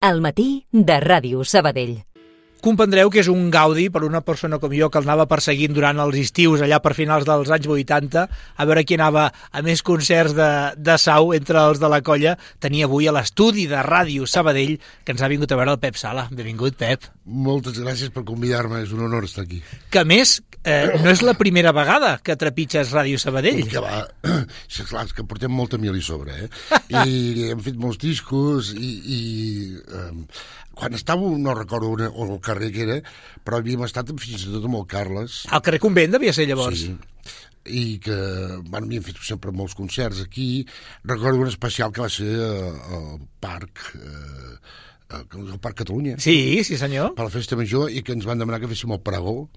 Al matí de Ràdio Sabadell. Comprendreu que és un gaudi per una persona com jo que el anava perseguint durant els estius allà per finals dels anys 80 a veure qui anava a més concerts de sau entre els de la colla. Tenia avui a l'estudi de Ràdio Sabadell que ens ha vingut a veure el Pep Sala. Benvingut, Pep. Moltes gràcies per convidar-me, és un honor estar aquí. Que a més, no és la primera vegada que trepitges Ràdio Sabadell. Que va, és clar, és que portem molta mil i sobre, I hem fet molts discos quan estava, no recordo on el carrer que era, però havíem estat fins i tot amb el Carles. Al carrer Convent devia ser llavors. Sí, i que havíem fet sempre molts concerts aquí. Recordo un especial que va ser al Parc Catalunya. Sí, sí senyor. Per la Festa Major, i que ens van demanar que féssim el pregó,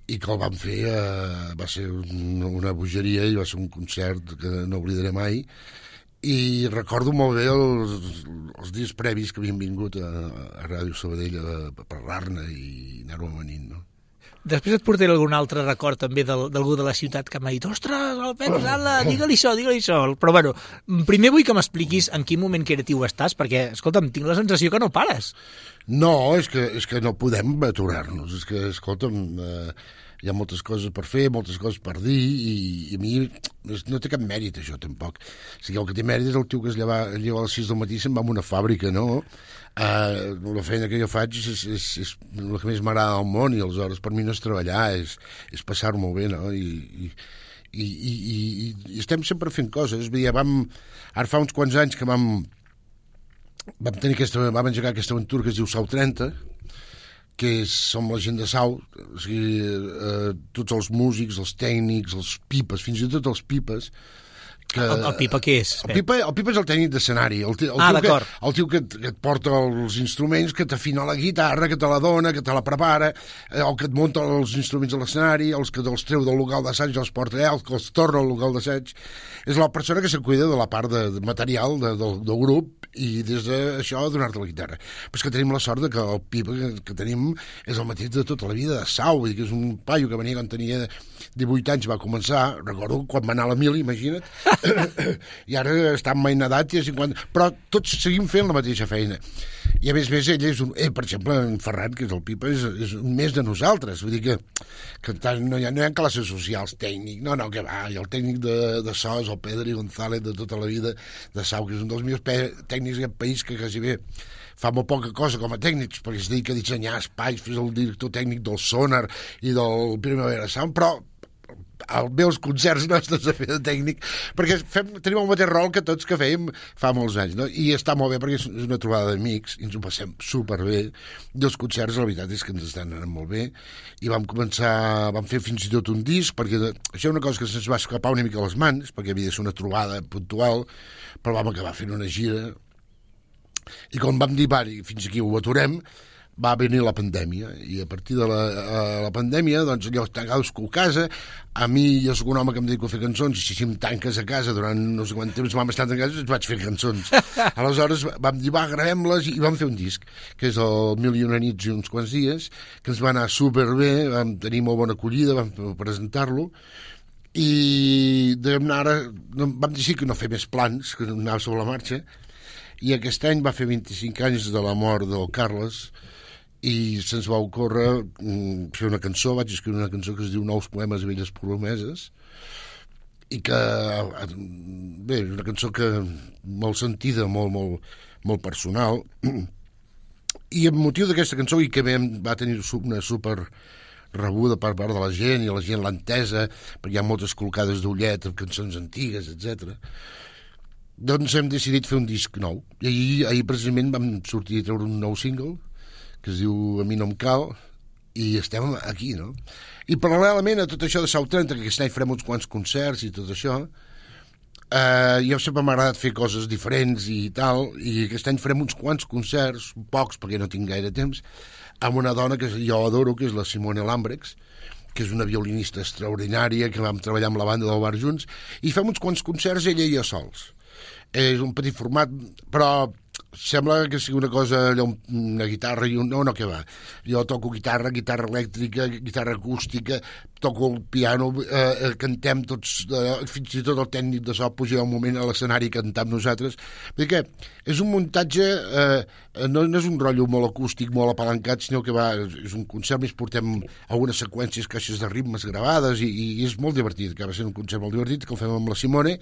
i que el vam fer, va ser una bogeria i va ser un concert que no oblidaré mai. I recordo molt bé els dies previs que havíem vingut a Ràdio Sabadell a parlar-ne i anar-ho amanint, no? Després et portaré algun altre record també d'algú de la ciutat que m'ha dit ostres, el Pep Sala, digue-li això. Però bueno, primer vull que m'expliquis en quin moment creatiu estàs, perquè, escolta'm, tinc la sensació que no pares. No, és que no podem aturar-nos. És que, escolta'm, hi ha moltes coses per fer, moltes coses per dir, i a mi no té cap mèrit, això, tampoc. O sigui, el que té mèrit és el tio que es lleva a les 6 del matí i se'n va a una fàbrica, no? La feina que jo faig és el que més m'agrada al món, i aleshores per mi no és treballar, és passar-m'ho bé, no? I estem sempre fent coses. Vull dir, ara fa uns quants anys que vam engegar aquesta aventura que es diu Sau 30, que som la gent de Sau, o sigui, tots els músics, els tècnics, els pipes, fins i tot els pipes. El pipa què és? El pipa és el tècnic d'escenari, el tio que et porta els instruments, que t'afina la guitarra, que te la dona, que te la prepara, el que et munta els instruments a l'escenari, els que els treu del local d'assaig, els porta el que els torna al local d'assaig. És la persona que se cuida de la part de material del grup, i des d'això donar-te la guitarra. Però és que tenim la sort que el pipa que tenim és el mateix de tota la vida de Sau, vull dir que és un paio que venia quan tenia 18 anys, va començar, recordo quan va anar a la mili, imagina't, i ara està en mainedat i a 50, però tots seguim fent la mateixa feina. I a més ell és per exemple, en Ferran, que és el pipa, és un més de nosaltres, vull dir que no hi ha classes socials, tècnic, no, que va, i el tècnic de so és el Pedri González de tota la vida de Sau, que és un dels millors tècnics d'aquest país, que quasi bé fa molt poca cosa com a tècnics, perquè es dedica a dissenyar espais, és el director tècnic del Sonar i del Primavera Sound, però als meus concerts nostres a fer de tècnic, perquè tenim el mateix rol que tots que fèiem fa molts anys, no? I està molt bé perquè és una trobada d'amics i ens ho passem superbé, i els concerts la veritat és que ens estan anant molt bé, i vam fer fins i tot un disc, perquè això és una cosa que se'ns va escapar una mica a les mans, perquè havia de ser una trobada puntual, però vam acabar fent una gira, i quan vam dir, fins aquí ho aturem, va venir la pandèmia, i a partir de la pandèmia, doncs allò està cadascú a casa, a mi jo soc un home que em dedico a fer cançons, i si em tanques a casa durant no sé quant temps vam estar a casa, vaig fer cançons. Aleshores vam dir, gravem-les, i vam fer un disc, que és el 1001 nits i uns quants dies, que ens va anar superbé, vam tenir molt bona acollida, vam presentar-lo, i vam decidir que no fer més plans, que anar sobre la marxa, i aquest any va fer 25 anys de la mort del Carles, i se'ns va ocórrer fer una cançó, vaig escriure una cançó que es diu Nous poemes i velles promeses, i que, bé, és una cançó que molt sentida, molt personal, i amb motiu d'aquesta cançó, i que va tenir una super rebuda per part de la gent, i la gent l'ha entesa, perquè hi ha moltes col·locades d'ullet amb cançons antigues, etc. Doncs hem decidit fer un disc nou, i ahir precisament vam sortir a treure un nou single, que es diu A mi no em cal, i estem aquí, no? I paral·lelament a tot això de Sau 30, que aquest any farem uns quants concerts i tot això, jo sempre m'ha agradat fer coses diferents i tal, i aquest any farem uns quants concerts, pocs perquè no tinc gaire temps, amb una dona que jo adoro, que és la Simone Lambrex, que és una violinista extraordinària, que vam treballar amb la banda del bar junts, i fem uns quants concerts ella i jo sols. És un petit format, però sembla que sigui una cosa, allò, una guitarra i no, que va. Jo toco guitarra elèctrica, guitarra acústica, toco el piano, cantem tots, fins i tot el tècnic de so puja un moment a l'escenari i cantar amb nosaltres, perquè és un muntatge, no és un rotllo molt acústic, molt apalancat, sinó que és un concert, més portem algunes seqüències, caixes de ritmes gravades, i és molt divertit, que va ser un concert molt divertit, que el fem amb la Simone,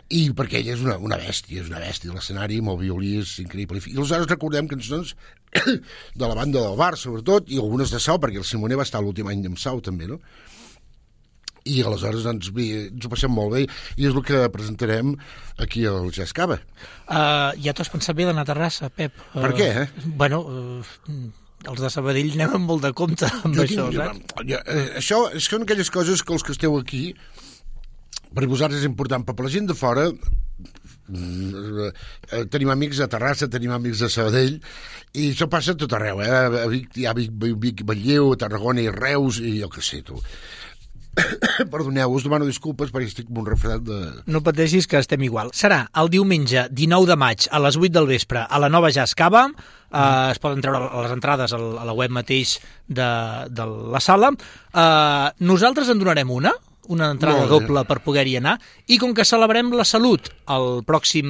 i perquè ella és una bèstia, l'escenari amb el violí és increïble. I aleshores recordem cançons de la banda del bar, sobretot, i algunes de Sau, perquè el Simoner va estar l'últim any amb Sau, també, no? I aleshores ens ho passem molt bé, i és el que presentarem aquí al Jazz Cava. Ja t'ho has pensat bé d'anar a Terrassa, Pep. Per què, Bueno, els de Sabadell anem amb molt de compte amb això, saps? Això són aquelles coses que els que esteu aquí, per vosaltres és important, però per la gent de fora tenim amics a Terrassa, tenim amics a Sabadell, i això passa a tot arreu, a Vic, a Manlleu, a Tarragona i Reus, i jo què sé, tu. Perdoneu, us demano disculpes perquè estic amb un refredat de... No pateixis que estem igual. Serà el diumenge 19 de maig a les 8 del vespre a la Nova Jazz Cava. Es poden treure les entrades a la web mateix de la sala. Nosaltres en donarem una entrada doble per poder-hi anar, i com que celebrem la salut el pròxim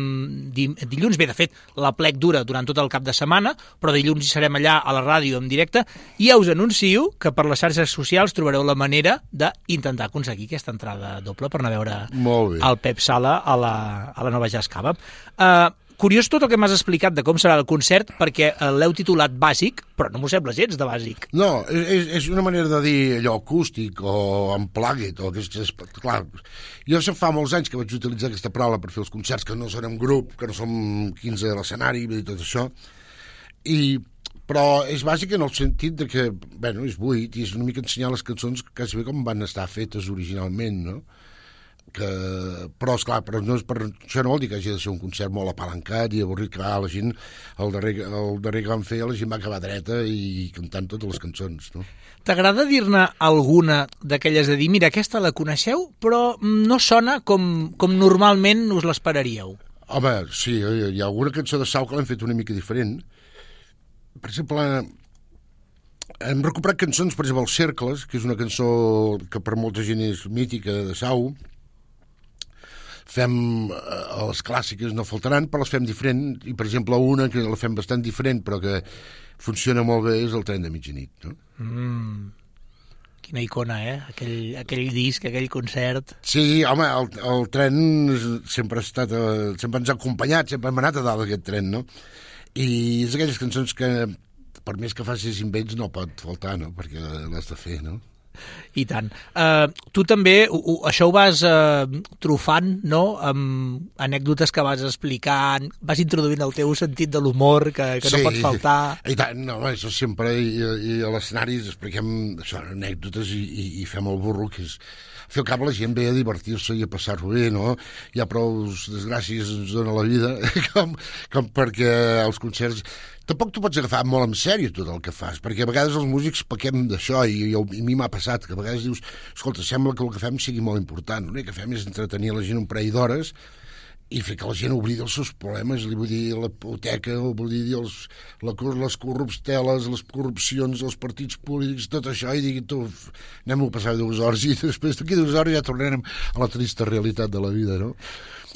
dilluns, bé, de fet, la plec dura durant tot el cap de setmana, però dilluns hi serem allà a la ràdio en directe, i ja us anuncio que per les xarxes socials trobareu la manera d'intentar aconseguir aquesta entrada doble per anar a veure el Pep Sala a la Nova Jazz Cava. Curiós tot el que m'has explicat de com serà el concert, perquè l'heu titulat bàsic, però no m'ho sembla gens de bàsic. No, és una manera de dir allò acústic o unplugged, o clar, jo fa molts anys que vaig utilitzar aquesta paraula per fer els concerts, que no són en grup, que no som 15 a l'escenari i tot això, però és bàsic en el sentit de que, bueno, és buit, i és una mica ensenyar les cançons quasi bé com van estar fetes originalment, no? Però, esclar, això no vol dir que hagi de ser un concert molt apalancat i avorrit, que la gent, el darrer que vam fer, la gent va acabar dreta i cantant totes les cançons, no? T'agrada dir-ne alguna d'aquelles de dir, mira, aquesta la coneixeu, però no sona com normalment us l'esperaríeu? Home, sí, hi ha alguna cançó de Sau que l'hem fet una mica diferent. Per exemple, hem recuperat cançons, per exemple, Els Cercles, que és una cançó que per molta gent és mítica de Sau. Fem les clàssiques, no faltaran, però les fem diferent, i per exemple una que la fem bastant diferent però que funciona molt bé és El Tren de Mitjanit, no? Quina icona, aquell disc, aquell concert. Sí, home, el tren sempre sempre ens ha acompanyat, sempre hem anat a dalt d'aquest tren, no? I és aquelles cançons que per més que facis invents no pot faltar, no? Perquè l'has de fer, no? I tant. Tu també, això ho vas trufant, no?, amb anècdotes que vas explicant, vas introduint el teu sentit de l'humor, que no pot faltar. I tant, no, això sempre, i a l'escenari expliquem això, anècdotes i fem el burro, que és... Al fi al cap la gent ve a divertir-se i a passar-ho bé, no? Hi ha prou desgràcies ens dona la vida com perquè els concerts... Tampoc tu pots agafar molt en sèrio tot el que fas, perquè a vegades els músics pequem d'això, i a mi m'ha passat, que a vegades dius, escolta, sembla que el que fem sigui molt important, l'únic que fem és entretenir la gent un parell d'hores i fer que la gent oblidi els seus problemes, li vull dir la hipoteca, vull dir les corrupteles, les corrupcions, els partits polítics, tot això, i digui, tu, anem a passar 2 hores, i després d'aquí 2 hores ja tornarem a la trista realitat de la vida, no?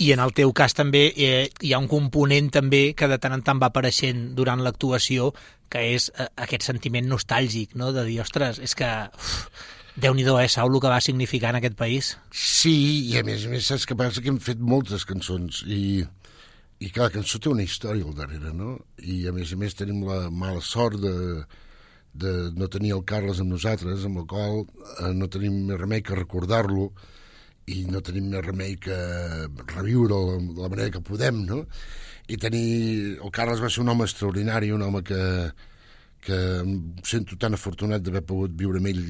I en el teu cas també hi ha un component també que de tant en tant va apareixent durant l'actuació, que és aquest sentiment nostàlgic, no?, de dir, ostres, és que... Déu-n'hi-do, Sau, el que va significar en aquest país. Sí, i a més saps que passa que hem fet moltes cançons i cada cançó té una història al darrere, no? I a més tenim la mala sort de no tenir el Carles amb nosaltres, amb el qual no tenim més remei que recordar-lo i no tenim més remei que reviure-lo de la manera que podem, no? I el Carles va ser un home extraordinari, un home que em sento tan afortunat d'haver pogut viure amb ell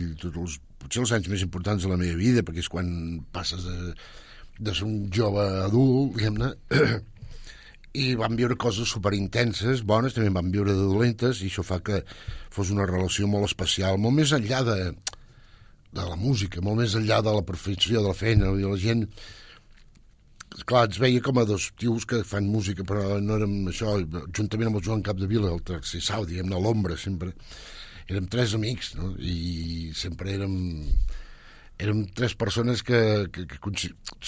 potser els anys més importants de la meva vida, perquè és quan passes de ser un jove adult, diguem-ne, i vam viure coses superintenses, bones, també vam viure de dolentes, i això fa que fos una relació molt especial, molt més enllà de la música, molt més enllà de la professió, de la feina, la gent clar, ens veia com a dos tios que fan música, però no érem això, juntament amb el Joan Capdevila, el tercer sau, diguem-ne, a l'ombra, sempre. Érem 3 amics, no? I sempre érem 3 persones que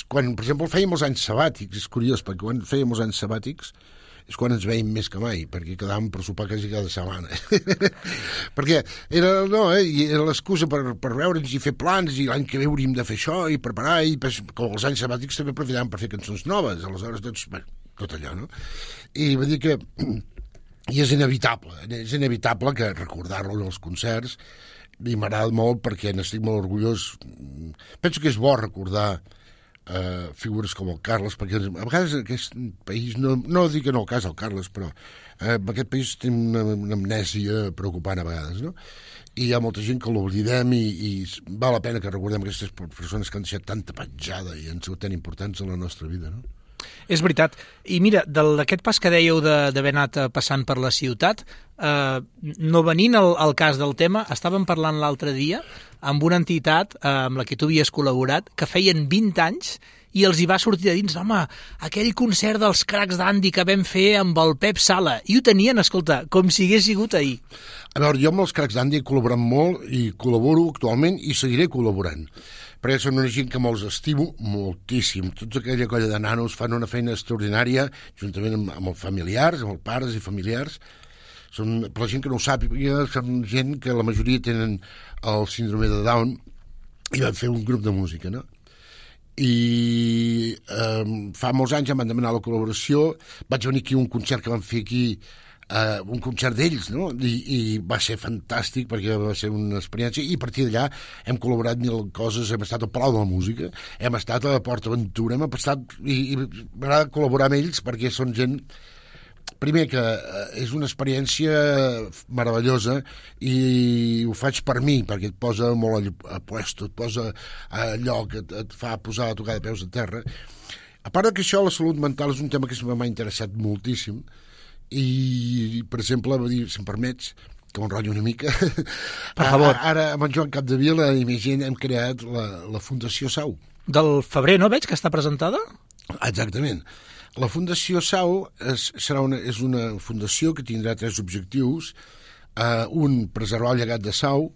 quan, per exemple, fèiem els anys sabàtics, és curiós, perquè quan fèiem els anys sabàtics és quan ens veiem més que mai, perquè quedàvem per sopar quasi cada setmana. Perquè era l'excusa per veure'ns i fer plans, i l'any que ve hauríem de fer això, i preparar, i com els anys sabàtics també aprofitàvem per fer cançons noves, aleshores tot allò, no? I va dir que i és inevitable que recordar-lo en els concerts, i m'agrada molt perquè n'estic molt orgullós. Penso que és bo recordar figures com el Carles, perquè a vegades en aquest país, no dic que no el cas el Carles, però en aquest país té una amnèsia preocupant a vegades, no? I hi ha molta gent que l'oblidem i val la pena que recordem aquestes persones que han deixat tanta petjada i han sigut tan importants en la nostra vida, no? És veritat. I mira, d'aquest pas que dèieu d'haver anat passant per la ciutat, no venint al cas del tema, estàvem parlant l'altre dia amb una entitat amb la que tu havies col·laborat, que feien 20 anys i els hi va sortir de dins, home, aquell concert dels Cracs d'Andy que vam fer amb el Pep Sala, i ho tenien, escolta, com si hagués sigut ahir. A veure, jo amb els Cracs d'Andy he col·laborat molt i col·laboro actualment i seguiré col·laborant, perquè són una gent que me'ls estimo moltíssim. Tota aquella colla de nanos fan una feina extraordinària, juntament amb els familiars, amb els pares i familiars. Per la gent que no ho sàpiga, són gent que la majoria tenen el síndrome de Down i van fer un grup de música, no? I fa molts anys em van demanar la col·laboració, vaig venir aquí a un concert que van fer aquí, un concert d'ells, no? I va ser fantàstic perquè va ser una experiència, i a partir d'allà hem col·laborat 1000 coses, hem estat al Palau de la Música, hem estat a Port Aventura, hem estat, i m'agrada col·laborar amb ells perquè són gent, primer que és una experiència meravellosa i ho faig per mi, perquè et posa molt a puesto, et posa a lloc, et fa posar a tocar de peus a terra. A part que això, la salut mental és un tema que m'ha interessat moltíssim, i, per exemple, si em permets, que m'enrotllo una mica, per favor. Ara amb en Joan Capdevila i més gent hem creat la Fundació Sau. Del febrer, no veig, que està presentada? Exactament. La Fundació Sau és una fundació que tindrà 3 objectius. Un, preservar el llegat de Sau.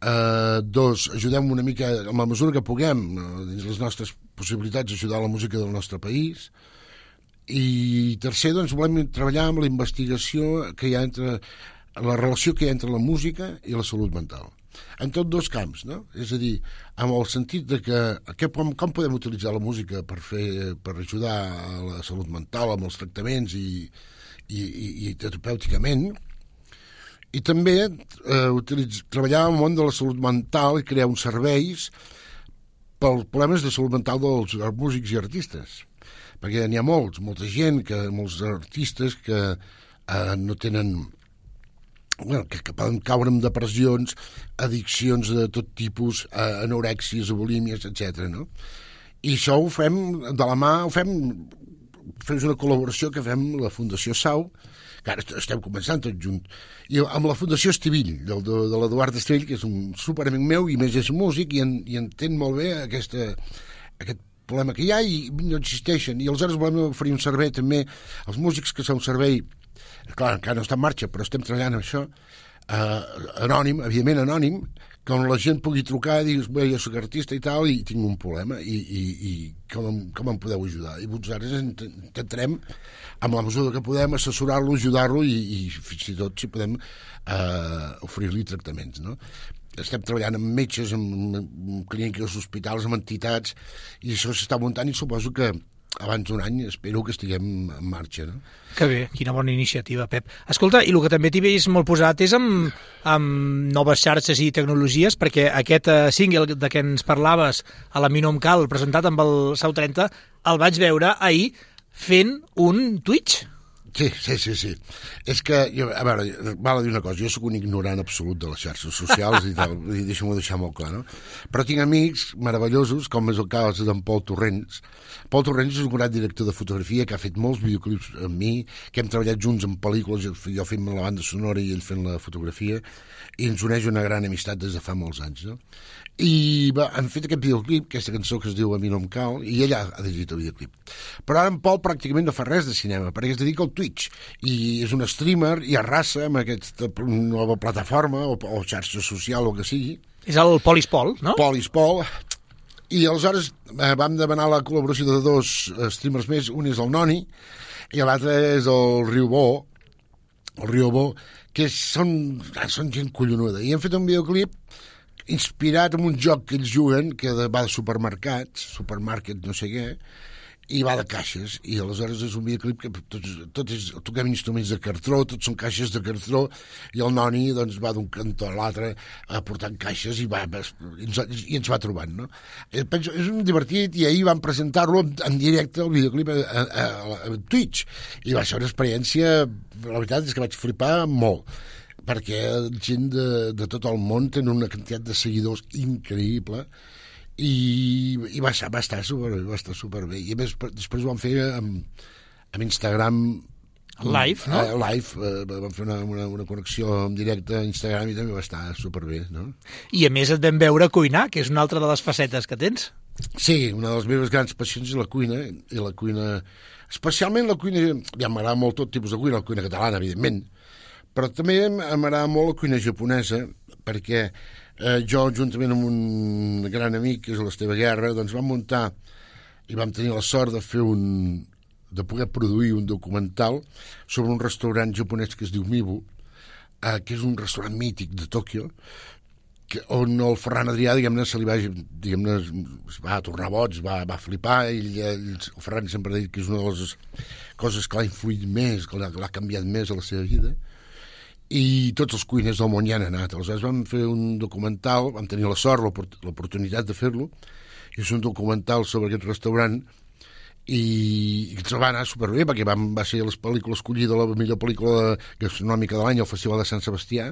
2, ajudem una mica, amb la mesura que puguem, dins les nostres possibilitats, ajudar la música del nostre país. I tercer, doncs, volem treballar amb la investigació que hi ha entre la relació que hi ha entre la música i la salut mental. En tots 2 camps, no? És a dir, amb el sentit de que com podem utilitzar la música per ajudar a la salut mental amb els tractaments i terapèuticament, i també treballar en el món de la salut mental i crear uns serveis pels problemes de salut mental dels músics i artistes, perquè n'hi ha molta gent, molts artistes que no tenen, que poden caure en depressions, addiccions de tot tipus, anorèxies, bulímies, etc. No? I això ho fem de la mà, fem una col·laboració que fem la Fundació Sau, que ara estem començant tots junts, i amb la Fundació Estivill, de l'Eduard Estivill, que és un superamic meu i més és músic i entén molt bé aquest problema que hi ha i no existeixen, i aleshores volem oferir un servei també als músics, que és un servei, clar, encara no està en marxa, però estem treballant amb això, anònim, evidentment anònim, que on la gent pugui trucar i dir, bé, jo soc artista i tal, i tinc un problema, i com em podeu ajudar? I vosaltres intentarem, amb la mesura que podem, assessorar-lo, ajudar-lo i fins i tot, si podem, oferir-li tractaments, no? Estem treballant amb metges, amb clíniques, hospitals, amb entitats, i això s'està muntant, i suposo que abans d'un any espero que estiguem en marxa, no? Que bé, quina bona iniciativa, Pep. Escolta, i el que també t'hi veus molt posat és amb noves xarxes i tecnologies, perquè aquest single de què ens parlaves, a la Mi no em cal, presentat amb el Sau 30, el vaig veure ahir fent un Twitch. Sí. És que, a veure, val a dir una cosa, jo sóc un ignorant absolut de les xarxes socials i tal, i deixa'm-ho deixar molt clar, no? Però tinc amics meravellosos, com és el cas d'en Pol Torrents. Pol Torrents és un gran director de fotografia que ha fet molts videoclips amb mi, que hem treballat junts en pel·lícules, jo fent la banda sonora i ell fent la fotografia, i ens uneix una gran amistat des de fa molts anys, no? I han fet aquest videoclip, aquesta cançó que es diu A mi no em cal, i ella ha dirigit el videoclip. Però ara en Pol pràcticament no fa res de cinema, perquè es dedica al Twitch, i és un streamer i arrasa amb aquesta nova plataforma o xarxa social o que sigui. És el Polispol, no? Polispol. I aleshores vam demanar la col·laboració de dos streamers més, un és el Noni i l'altre és el Riobó, que són gent collonuda, i han fet un videoclip inspirat en un joc que ells juguen que va de supermàrquet no sé què, i va de caixes, i aleshores és un videoclip que toquem instruments de cartró, tots són caixes de cartró, i el Noni doncs, va d'un cantó a l'altre portant caixes i ens va trobant, no? Penso, és un divertit, i ahir vam presentar-lo en directe, el videoclip a Twitch, i va ser una experiència, la veritat és que vaig flipar molt, perquè gent de tot el món tenen una quantitat de seguidors increïble, i va estar superbé. I a més, després ho vam fer amb Instagram live, no? Live, vam fer una connexió en directe a Instagram i també va estar superbé, no? I a més et vam veure cuinar, que és una altra de les facetes que tens. Sí, una de les meves grans passions és la cuina, especialment la cuina, ja m'agrada molt tot tipus de cuina, la cuina catalana, evidentment, però també m'agrada molt la cuina japonesa, perquè jo, juntament amb un gran amic, que és l'Esteve Guerra, doncs vam muntar i vam tenir la sort de poder produir un documental sobre un restaurant japonès que es diu Mibu, que és un restaurant mític de Tòquio, on el Ferran Adrià, se li va tornar boig, va flipar, i el Ferran sempre ha dit que és una de les coses que l'ha influït més, que l'ha canviat més a la seva vida, i tots els cuiners del món hi han anat. Aleshores vam fer un documental, vam tenir la sort, l'oportunitat de fer-lo, i és un documental sobre aquest restaurant, i ens va anar superbé, perquè va ser la pel·lícula escollida, la millor pel·lícula gastronòmica de l'any al Festival de Sant Sebastià,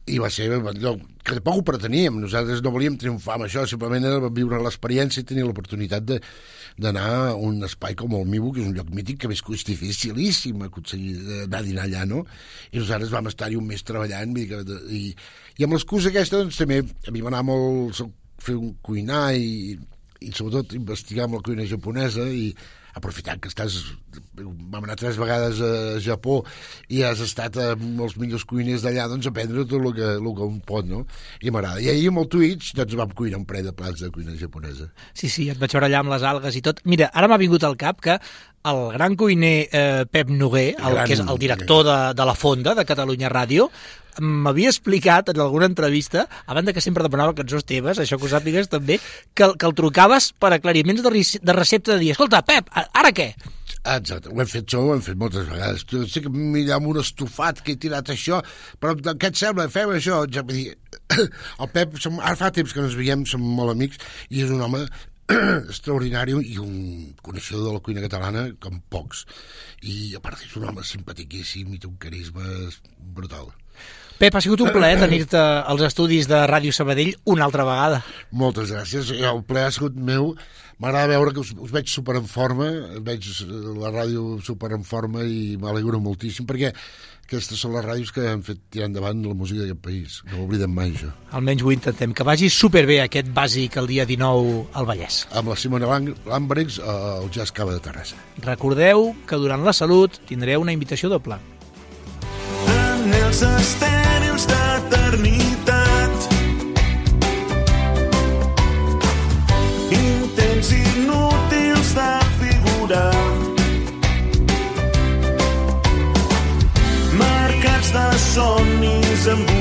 i va ser allò que tampoc ho preteníem, nosaltres no volíem triomfar amb això, simplement era viure l'experiència i tenir l'oportunitat d'anar a un espai com el Mibu, que és un lloc mític que és dificilíssim aconseguir anar a dinar allà, no? I nosaltres vam estar-hi un mes treballant, i amb l'excusa aquesta doncs també a mi m'anava molt fer un cuinar i sobretot investigar amb la cuina japonesa, i aprofitant que vam anar 3 vegades a Japó i has estat amb els millors cuiners d'allà, doncs aprendre tot el que un pot, no? I m'agrada. I ahir amb el Twitch doncs vam cuinar un parell de plats de cuina japonesa. Sí, et vaig veure allà amb les algues i tot. Mira, ara m'ha vingut al cap que el gran cuiner Pep Noguer, que és el director de La Fonda, de Catalunya Ràdio, m'havia explicat en alguna entrevista, a banda que sempre demanava cançons teves, això que ho sàpigues també, que el trucaves per aclariments de recepta de dir, escolta, Pep, ara què? Exacte, ho hem fet moltes vegades. Sé que m'hi un estofat que he tirat això, però què et sembla? Fem això? Ja vull dir, el Pep, ara fa temps que ens veiem, som molt amics, i és un home extraordinari i un coneixedor de la cuina catalana com pocs. I a part és un home simpatiquíssim i té un carisma brutal. Pep, ha sigut un plaer tenir-te als estudis de Ràdio Sabadell una altra vegada. Moltes gràcies, el plaer ha sigut meu. M'agrada veure que us veig super en forma, veig la ràdio super en forma i m'alegro moltíssim, perquè aquestes són les ràdios que han fet tirar endavant la música d'aquest país. No oblidem mai, això. Almenys ho intentem. Que vagi superbé aquest bàsic el dia 19 al Vallès. Amb la Simona Lambrex al Jazz Cava de Terrassa. Recordeu que durant la Salut tindreu una invitació doble. En els estèrils d'eternitat, intents inútils de figurar, marcats de somnis amb